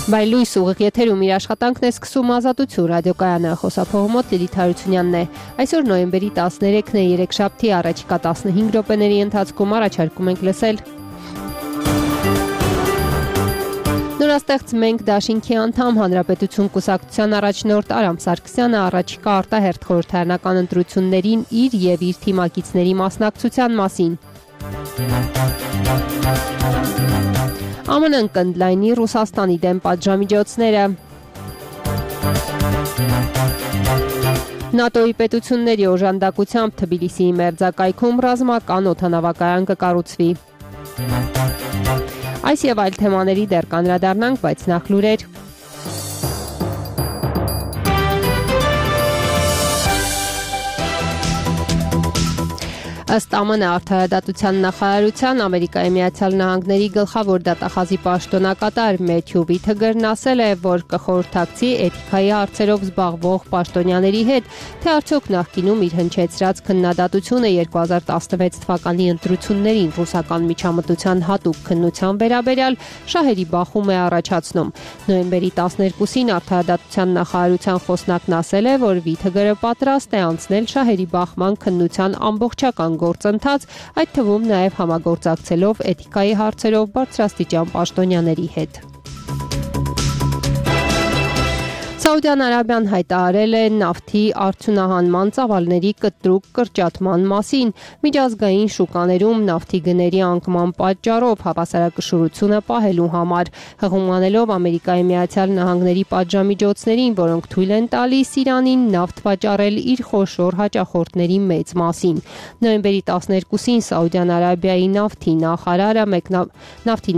Բայլույս ուղիղ եթերում իր աշխատանքն է սկսում Ազատություն ռադիոկայանը, խոսափողմոտ Լիլիթ Հարությունյանն է։ Այսօր նոյեմբերի 13-ն է, երեքշաբթի, առաջիկա 15 րոպեների ընթացքում առաջարկում ենք լսել Նորաստեղծ Մենք դաշինքի անդամ Հանրապետություն կուսակցության առաջնորդ Արամ Սարգսյանը առաջիկա արտահերթ խորհրդարանական ընտրություններին իր եւ իր թիմակիցների մասնակցության մասին։ ԱՄՆ-ն կընդլայնի Ռուսաստանի դեմ պատժամիջոցները։ ՆԱՏՕ-ի պետությունների օժանդակությամբ Թբիլիսիի մերձակայքում ռազմական օդանավակայան կկառուցվի։ Այս եւ այլ թեմաների դեռ կանդրադառնանք, բայց նախ լուրեր։ Ըստ ԱՄՆ արդարադատության նախարարության Ամերիկայի Միացյալ Նահանգների գլխավոր դատախազի պաշտոնակատար Մեթյու Վիթգերն ասել է, որ կխորհրդակցի էթիկայի հարցերով զբաղվող պաշտոնյաների հետ, թե արդյոք նախկինում իր հնչեցրած քննադատությունը 2016 թվականի ընտրություններին ռուսական միջամտության հատուկ քննության վերաբերյալ շահերի բախում է առաջացնում։ Նոյեմբերի 12-ին արդարադատության նախարարության խոսնակն ասել է, որ Վիթգերը պատրաստ է անցնել շահերի բախման քննության ամբողջական գործընթաց, այդ թվում նաև համագործակցելով էթիկայի հարցերով բարձրաստիճան պաշտոնյաների հետ։ Սաուդյան Արաբիան հայտարարել է նավթի արդյունահանման ծավալների կտրուկ կրճատման մասին, միջազգային շուկաներում նավթի գների անկման պատճառով հավասարակշռությունը պահելու համար, հղում Ամերիկայի Միացյալ Նահանգների պատժամիջոցներին, որոնք թույլ են տալիս Իրանին նավթ վաճառել իր խոշոր հաճախորդների մեծ մասին։ Նոյեմբերի 12-ին Սաուդյան Արաբիայի նավթի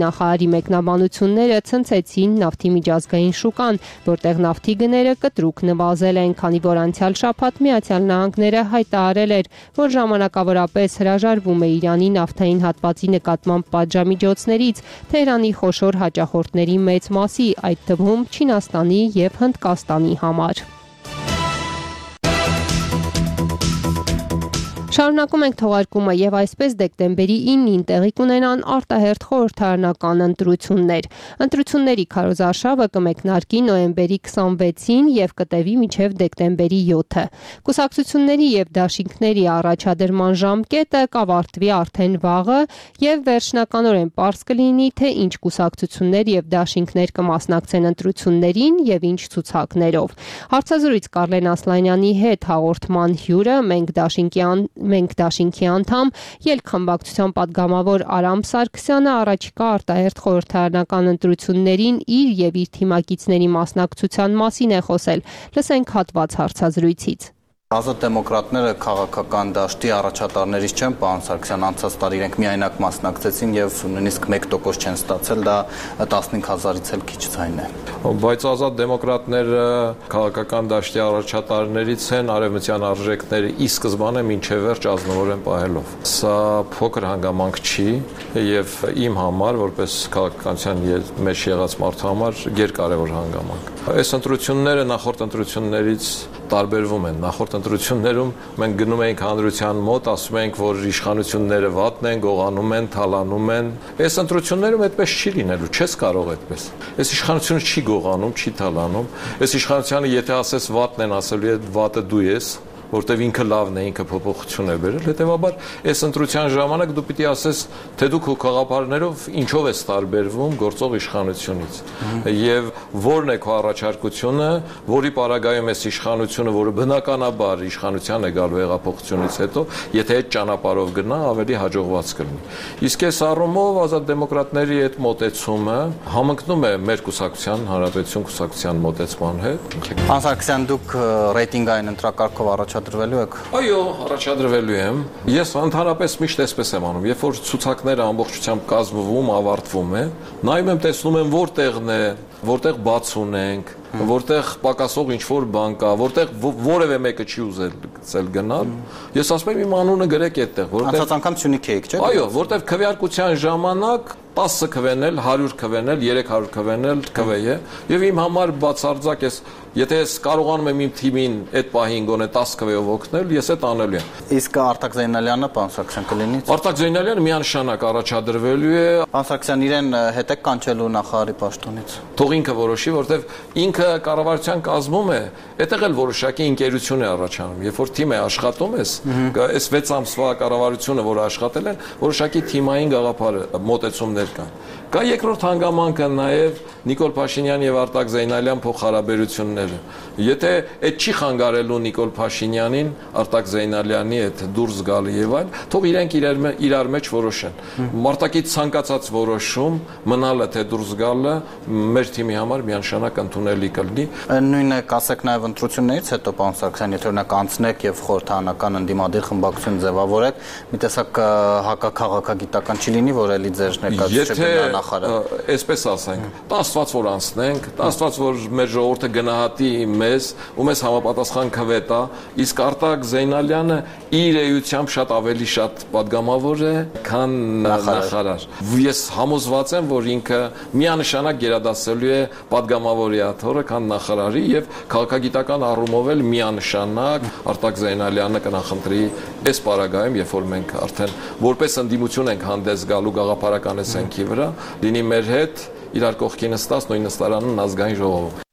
նախարարի մեկնաբանությունները ցնցեցին նավթի միջազգային շուկան, որտեղ նավթի գները կտրուկ նվազել են, քանի որ անցյալ շաբաթ Միացյալ Նահանգները հայտարարել էր, որ ժամանակավորապես հրաժարվում է Իրանի նավթային հատվածի նկատմամբ պատժամիջոցներից Թեհրանի խոշոր հաճախորդների մեծ մասի, այդ թվում Չինաստանի եւ Հնդկաստանի համար։ Շարունակում ենք թողարկումը եւ այսպես դեկտեմբերի 9-ին տեղի կունենան արտահերթ խորհրդարանական ընտրություններ։ Ընտրությունների քարոզարշավը կմեկնարկի նոյեմբերի 26-ին եւ կտևի մինչեւ դեկտեմբերի 7-ը։ Կուսակցությունների եւ դաշինքների առաջադրման ժամկետը կավարտվի արդեն վաղը եւ վերջնականորեն պարզ կլինի, թե ինչ կուսակցություններ եւ դաշինքներ կմասնակցեն ընտրություններին եւ ինչ ցուցակներով։ Հարցազրույց Կարլեն Ասլանյանի հետ հաղորդման հյուրը Մենք դաշինքի անդամ ելքխմբակցության պատգամավոր Արամ Սարգսյանը առաջիկա արտահերթ խորհրդարանական ընտրություններին իր եւ իր թիմակիցների մասնակցության մասին է խոսել։ Լսենք հատված հարցազրույցից։ Ազատ դեմոկրատները քաղաքական դաշտի առաջատարներից չեն, պարոն Սարգսյան, անցած տարի իրենք միայնակ մասնակցեցին եւ նույնիսկ 1% չեն ստացել, դա 15000-ից էլ քիչ ձայն է։ Բայց ազատ դեմոկրատները քաղաքական դաշտի առաջատարներից են, արևմտյան արժեքները ի սկզբանե մինչև վերջ ազնվորեն պահելով։ Սա փոքր հանգամանք չի եւ իմ համար, որպես քաղաքականության մեջ եղած մարդու համար, գերկարևոր հանգամանք։ Այս ընտրությունները նախորդ ընտրություններից տարբերվում են։ Նախորդ ընտրություններում մենք գնում էինք հանրության մոտ, ասում էինք, որ իշխանությունները վատն են, գողանում են, թալանում են։ Այս ընտրություններում այդպես չի լինելու, չես կարող այդպես։ Այս իշխանությունը չի գողանում, չի թալանում։ Այս իշխանությանը եթե ասես վատն են, ասելու է վատը դու ես, որտեվ ինքը լավն է, ինքը փոփոխություն է բերել, հետեւաբար այս ընտրության ժամանակ դու պիտի ասես, թե դու քո խաղապարներով ինչով ես տարբերվում գործող իշխանությունից եւ որն է քո առաջարկությունը, որի պարագայում այս իշխանությունը, որը բնականաբար իշխանության է գալու հեղափոխությունից հետո, եթե այդ ճանապարհով գնա, ավելի հաջողված կլինի։ Իսկ այս առումով ազատ դեմոկրատների այդ մոտեցումը համընկնում է մեր կուսակցության, Հանրապետություն կուսակցության մոտեցման հետ։ Պարոն Սարգսյան, դուք ռեյտինգային ընտրակարգով առաջադրվելու եք։ Այո, առաջադրվելու եմ։ Ես ընդհանրապես միշտ այսպես եմ անում, երբ որ ցուցակները ամբողջությամբ կազմվում, ավարտվում է, նայում եմ, տեսնում եմ որտեղն է, որտեղ բաց ունենք, որտեղ պակասող ինչ-որ բան կա, որտեղ որևէ մեկը չի ուզել գնալ, ես ասում եմ իմ անունը գրեք այդտեղ, որտեղ անցած անգամ Սյունիք էիք, չէ՞։ Այո, որտեղ քվեարկության ժամանակ 10 քվենել, 100 քվենել, 300 քվենել քվեյ է, եւ իմ համար բացարձակ ես եթե ես կարողանում եմ իմ թիմին այդ պահին գոնե 10 քվեով օգնել, ես այդ անելու եմ։ Իսկ Արտակ Զեյնալյանը, պարոն Սարգսյան, կլինի։ Արտակ Զեյնալյանը միանշանակ առաջադրվելու է։ Պարոն Սարգսյան, իրեն հետ եք կանչելու նախարարի պաշտոնից։ Թող ինքը որոշի, որտեվ ինքը կառավարության կազմում է, այդտեղ էլ որոշակի ընկերություն է առաջանում։ Երբ որ թիմ է աշխատում ես, այս 6 ամսվա կառավարությունը, որը աշխատել են, որոշակի թիմային գաղափար մոտեցումներ կան։ Կա երկրորդ հանգամանքը նաև Նիկոլ Փաշինյան եւ Արտակ Զեյնալյան փոխհարաբերությունները։ Եթե այդ չի խանգարելու Նիկոլ Փաշինյանին, Արտակ Զեյնալյանի հետ դուրս գալը եւ այլ, թող իրենք իրար մեջ որոշեն։ Մարտակից ցանկացած որոշում, մնալը թե դուրս գալը մեր թիմի համար միանշանակ ընդունելի կլինի։ Նույնը կասեք նաև ընտրություններից հետո, պարոն Սարգսյան, եթե օրինակ անցնեք եւ խորհրդարանական ընդդիմադիր խմբակցություն ձևավորեք, մի տեսակ հակաքաղաքագիտական չի լինի, որ էլի ձեր ներկայացուցիչը նախարար։ Այսպես ասենք, Աստված որ անցնենք, Աստված որ մեր ժողովուրդը գնահատի մեզ ու մեզ համապատասխան քվե տա, իսկ Արտակ Զեյնալյանը իր էությամբ շատ ավելի շատ падգամավոր է, քան նախարար։ Ես համոզված եմ, որ ինքը միանշանակ գերադասելու է падգամավորի աթոռը, քան նախարարի եւ քաղաքագիտական առումով էլ միանշանակ Արտակ Զեյնալյանը կնախընտրի այս պարագայում, երբ որ մենք արդեն որպես ընդդիմություն ենք հանդես գալու գաղափարական էսենքի վրա, լինի մեր հետ իրար կողքի նստած նույն նստարանն ազգային ժողովում։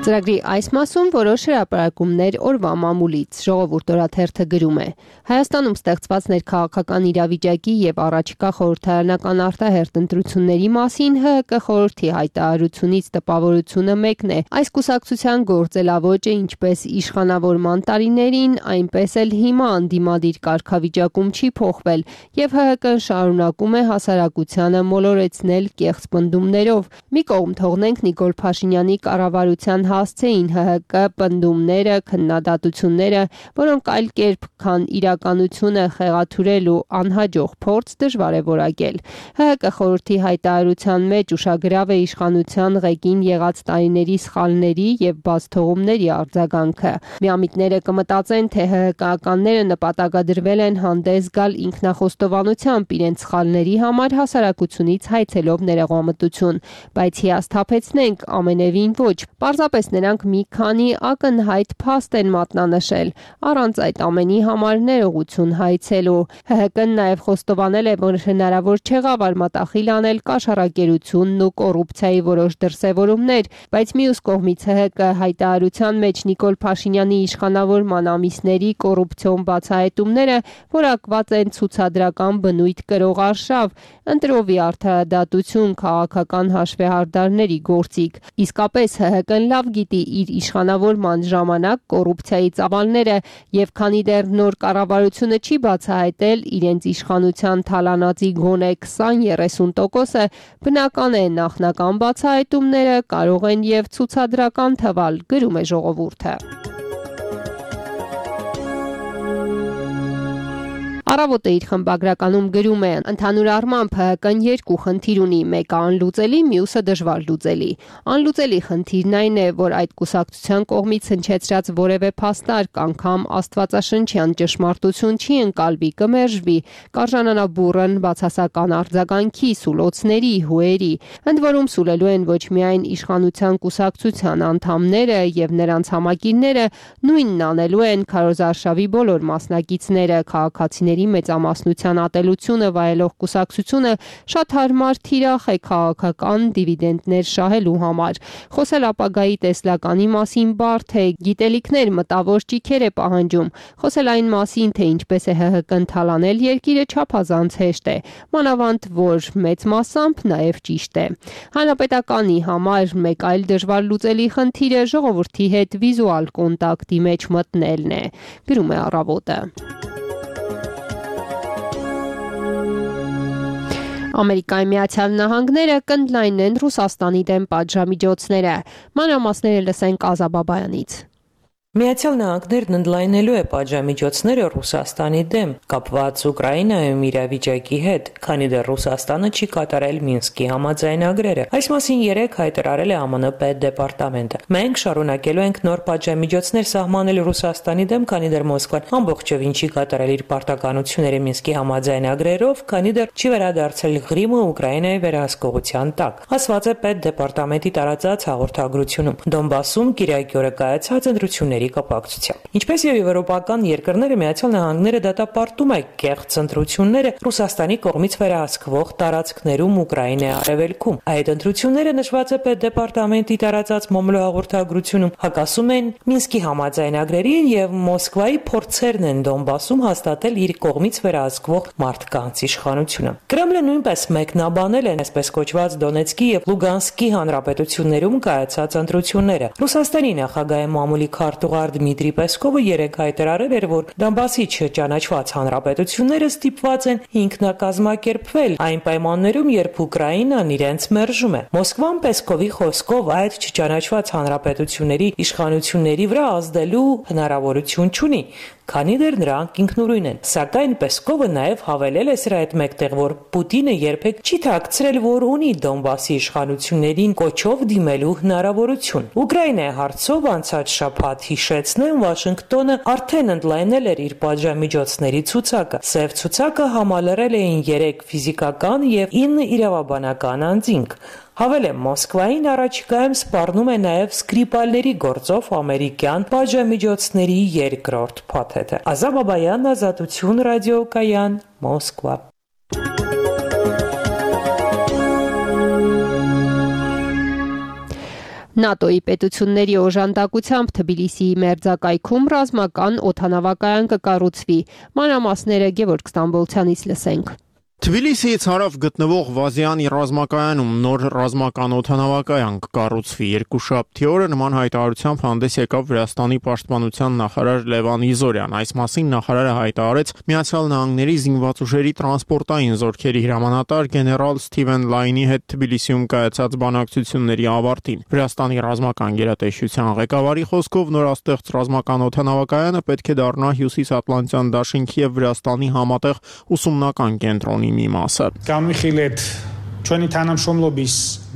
Ծրագրի այս մասում որոշ հրապարակումներ օրվա մամուլից Ժողովուրդ օրաթերթը գրում է. Հայաստանում ստեղծված ներքաղաքական իրավիճակի եւ առաջիկա խորհրդարանական արտահերթ ընտրությունների մասին ՀՀԿ խորհրդի հայտարարությունից տպավորությունը մեկն է։ Այս կուսակցության գործելավոճը ինչպես իշխանավորման տարիներին, այնպես էլ հիմա անդիմադիր կարգավիճակում չի փոխվել եւ ՀՀԿ-ն շարունակում է հասարակությանը մոլորեցնել կեղծ պնդումներով։ Մի կողմ թողնենք Նիկոլ Փաշինյանի կառավարության հասցեին ՀՀԿ պնդումները, քննադատությունները, որոնք այլ կերպ քան իրականությունը խեղաթյուրել ու անհաջող փորձ դժվար է որակել։ ՀՀԿ խորհրդի հայտարարության մեջ ուշագրավ է իշխանության ղեկին եղած տարիների սխալների եւ բացթողումների արձագանքը։ Միամիտները կմտածեն, թե ՀՀԿ-ականները նպատակադրվել են հանդես գալ ինքնախոստովանությամբ իրենց սխալների համար հասարակությունից հայցելով ներողամտություն, բայց հիասթափեցնենք ամենևին ոչ։ Պարզապես նրանք մի քանի ակնհայտ փաստ են մատնանշել, առանց այդ ամենի համար ներողություն հայցելու։ ՀՀԿ-ն նաև խոստովանել է, որ հնարավոր չեղավ արմատախիլ անել կաշառակերությունն ու կոռուպցիայի որոշ դրսևորումներ, բայց մյուս կողմից ՀՀԿ հայտարարության մեջ Նիկոլ Փաշինյանի իշխանավորման ամիսների կոռուպցիոն բացահայտումները որակված են ցուցադրական բնույթ կրող արշավ, ընտրովի արդարադատություն, քաղաքական հաշվեհարդարների գործիք։ Իսկապես ՀՀԿ-ն լավ գիտի իր իշխանավորման ժամանակ կոռուպցիայի ծավալները եւ քանի դեռ նոր կառավարությունը չի բացահայտել իրենց իշխանության թալանածի գոնե 20-30%-ը, բնական է նախնական բացահայտումները կարող են եւ ցուցադրական թվալ, գրում է Ժողովուրդը։ Առավոտը իր խմբագրականում գրում է. ընդհանուր առմամբ ՀՀԿ-ն երկու խնդիր ունի, մեկը անլուծելի, մյուսը դժվար լուծելի։ Անլուծելի խնդիրն այն է, որ այդ կուսակցության կողմից հնչեցրած որևէ փաստարկ անգամ աստվածաշնչյան ճշմարտություն չի ընկալվի, կմերժվի, կարժանանա բուռն բացասական արձագանքի, սուլոցների, հուերի։ Ընդ որում սուլելու են ոչ միայն իշխանության կուսակցության անդամները եւ նրանց համակիրները, նույնն անելու են քարոզարշավի բոլոր մասնակիցները, քաղաքացիների մեծամասնության ատելությունը վայելող կուսակցությունը շատ հարմար թիրախ է քաղաքական դիվիդենդներ շահելու համար։ Խոսել ապագայի տեսլականի մասին բարդ է, գիտելիքներ, մտավոր ճիգեր է պահանջում։ Խոսել այն մասին, թե ինչպես է ՀՀԿ-ն թալանել երկիրը չափազանց հեշտ է, մանավանդ որ մեծ մասամբ նաև ճիշտ է։ Հանրապետականի համար մեկ այլ դժվար լուծելի խնդիրը ժողովրդի հետ վիզուալ կոնտակտի մեջ մտնելն է, գրում է Առավոտը։ Ամերիկայի Միացյալ Նահանգները կընդլայնեն Ռուսաստանի դեմ պատժամիջոցները։ Մանրամասները լսենք Ազա Բաբայանից։ Միացյալ Նահանգներն ընդլայնելու է պատժամիջոցները Ռուսաստանի դեմ կապված Ուկրաինայում իրավիճակի հետ, քանի դեռ Ռուսաստանը չի կատարել Մինսկի համաձայնագրերը։ Այս մասին 3 հայտարարել է ԱՄՆ պետդեպարտամենտը։ Մենք շարունակելու ենք նոր պատժամիջոցներ սահմանել Ռուսաստանի դեմ, քանի դեռ Մոսկվան ամբողջովին չի կատարել իր պարտականությունները Մինսկի համաձայնագրերով, քանի դեռ չի վերադարձել Ղրիմը Ուկրաինայի վերահսկողության տակ, ասված է պետդեպարտամենտի տարածած հաղորդագրությունում։ Դոնբասում Կիրակի օրը կայացած ընտրությունների կապակցությամբ։ Ինչպես եւ եվրոպական երկրները, Միացյալ Նահանգները դատապարտում է կեղծ ընտրությունները Ռուսաստանի կողմից վերահսկվող տարածքներում Ուկրաինայի արևելքում։ Այդ ընտրությունները նշված է պետդեպարտամենտի տարածած մամուլի հաղորդագրությունում, հակասում են Մինսկի համաձայնագրերին եւ Մոսկվայի փորձերն են Դոնբասում հաստատել իր կողմից վերահսկվող մարդկանց իշխանությունը։ Կրեմլը նույնպես մեկնաբանել է այսպես կոչված Դոնեցկի եւ Լուգանսկի հանրապետություններում կայացած ընտրությունները։ Ռուսաստանի նախագահի մամուլի քարտուղար Դմիտրի Պեսկովը 3 հայտարարել էր, որ Դոնբասի չճանաչված հանրապետությունները ստիպված են ինքնակազմակերպվել այն պայմաններում, երբ Ուկրաինան իրենց մերժում է։ Մոսկվան Պեսկովի խոսքով այդ չճանաչված հանրապետությունների իշխանությունների վրա ազդելու հնարավորություն չունի, քանի դեռ նրանք ինքնուրույն են։ Սակայն Պեսկովը նաև հավելել է սրա հետ մեկտեղ, որ Պուտինը երբեք չի թաքցրել, որ ունի Դոնբասի իշխանություններին կոչով դիմելու հնարավորություն։ Ուկրաինայի հարցով անցած շաբաթ հիշեցնեմ, Վաշինգտոնը արդեն ընդլայնել էր իր պատժամիջոցների ցուցակը։ Սև ցուցակը համալրել էին 3 ֆիզիկական եւ 9 իրավաբանական անձինք։ Հավելեմ, Մոսկվային առաջիկայում սպառնում է նաև Սկրիպալների գործով ամերիկյան պատժամիջոցների երկրորդ փաթեթը։ Ազատ Բաբայան, Ազատություն ռադիոկայան, Մոսկվա։ ՆԱՏՕ-ի պետությունների օժանդակությամբ Թբիլիսիի մերձակայքում ռազմական օդանավակայան կկառուցվի։ Մանրամասները Գևորգ Ստամբոլցյանից լսենք։ Թբիլիսիից հարավ գտնվող Վազյանի ռազմակայանում նոր ռազմական օդանավակայան կկառուցվի։ Երկուշաբթի օրը նման հայտարարությամբ հանդես եկավ Վրաստանի պաշտպանության նախարար Լևան Իզորյան։ Այս մասին նախարարը հայտարարեց Միացյալ Նահանգների զինված ուժերի տրանսպորտային զորքերի հրամանատար գեներալ Սթիվեն Լայնի հետ Թբիլիսիում կայացած բանակցությունների ավարտին։ Վրաստանի ռազմական գերատեսչության ղեկավարի խոսքով նորաստեղծ ռազմական օդանավակայանը պետք է դառնա Հյուսիսատլանտյան դաշինքի եւ Վրաստանի համատեղ ուսումնական կենտրոնի մի մասը։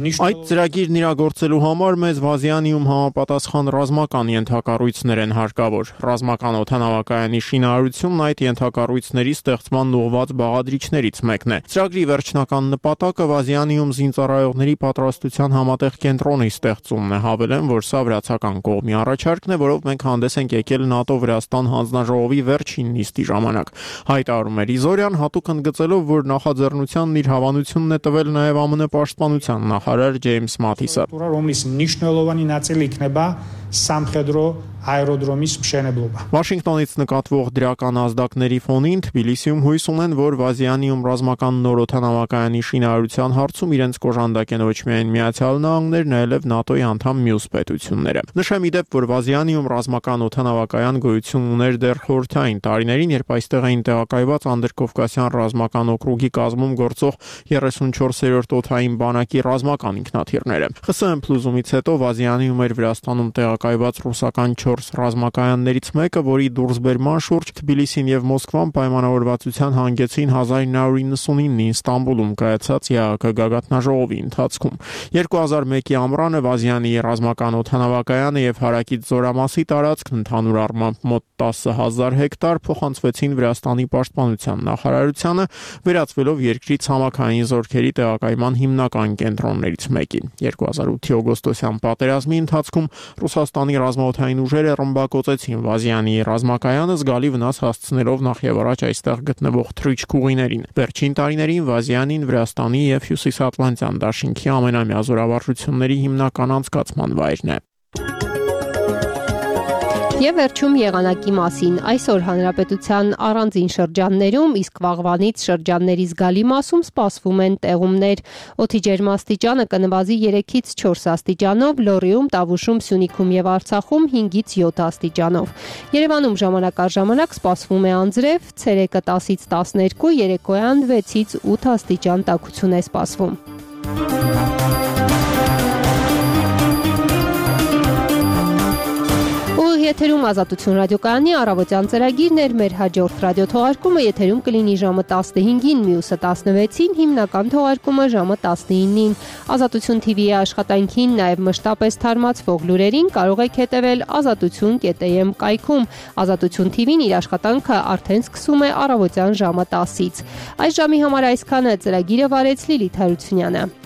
Այդ ծրագիրն իրագործելու համար մեզ Վազյանիում համապատասխան ռազմական ենթակառույցներ են հարկավոր։ Ռազմական օդանավակայանի շինարարությունն այդ ենթակառույցների ստեղծման ուղղված բաղադրիչներից մեկն է։ Ծրագրի վերջնական նպատակը Վազյանիում զինծառայողների պատրաստության համատեղ կենտրոնի ստեղծումն է։ Հավելեմ, որ սա վրացական կողմի առաջարկն է, որով մենք հանդես ենք եկել ՆԱՏՕ-Վրաստան հանձնաժողովի վերջին նիստի ժամանակ։ Հայտարարում էր Իզորյան, հատուկ ընդգծելով, որ նախաձեռնությանն իր հավանությունն է տվել նաև ԱՄՆ պաշտպանության նախարար Ջեյմս Մաթիսը։ Վաշինգտոնից նկատվող դրական ազդակների ֆոնին Թբիլիսիում հույս ունեն, որ Վազյանիում ռազմական նոր օդանավակայանի շինարարության հարցում իրենց կոժանդակ են ոչ միայն Միացյալ Նահանգներն, այլև ՆԱՏՕ-ի անդամ մյուս պետությունները։ Նշեմ ի դեպ, որ Վազյանիում ռազմական օդանավակայան գոյություն ուներ դեռ խորհրդային տարիներին, երբ այստեղ էին տեղակայված Անդրկովկասյան ռազմական օկրուգի կազմում գործող 34-րդ օդային բանակի ռազմական ինքնաթիռները։ ԽՍՀՄ փլուզումից հետո Վազյանիում էր Վրաստանում տեղակայված ռուսական 4 ռազմակայաններից մեկը, որի դուրսբերման շուրջ Թբիլիսին եւ Մոսկվան պայմանավորվածության հանգեցին 1999-ին Ստամբուլում կայացած ԵԱՀԿ գագաթնաժողովի ընթացքում։ 2001-ի ամռանը Վազյանի ռազմական օդանավակայանը եւ հարակից զորամասի տարածքն ընդհանուր առմամբ մոտ 10,000 հեկտար փոխանցվեցին Վրաստանի պաշտպանության նախարարությանը, վերածվելով երկրի ցամաքային զորքերի տեղակայման հիմնական կենտրոններից մեկին։ 2008-ի օգոստոսյան պատերազմի ընթացքում Ռուսաստանի ռազմաօդային ուժերը ռմբակոծեցին Վազյանի ռազմակայանը, զգալի վնաս հասցնելով նախ եւ առաջ այստեղ գտնվող թռիչքուղիներին։ Վերջին տարիներին Վազյանին Վրաստանի եւ Հյուսիսատլանտյան դաշինքի ամենամյա զորավարժությունների հիմնական անցկացման վայրն է։ Եվ վերջում եղանակի մասին։ Այսօր հանրապետության առանձին շրջաններում, իսկ վաղվանից շրջանների զգալի մասում սպասվում են տեղումներ։ Օդի ջերմաստիճանը կնվազի 3-ից 4 աստիճանով, Լոռիում, Տավուշում, Սյունիքում եւ Արցախում 5-ից 7 աստիճանով։ Երևանում ժամանակ առ ժամանակ սպասվում է անձրև, ցերեկը 10-ից 12, երեկոյան 6-ից 8 աստիճան տաքություն է սպասվում։ եթերում Ազատություն ռադիոկայանի առավոտյան ծրագիրն էր, մեր հաջորդ ռադիոթողարկումը եթերում կլինի ժամը 15-ին, մյուսը 16-ին, հիմնական թողարկումը ժամը 19-ին։ Ազատություն TV-ի աշխատանքին, նաև մշտապես թարմացվող լուրերին կարող եք հետևել azatutun.am կայքում։ Ազատություն TV-ն իր աշխատանքը արդեն սկսում է առավոտյան ժամը 10-ից։ Այս ժամի համար այսքանը, ծրագիրը վարեց Լիլիթ Հարությունյանը։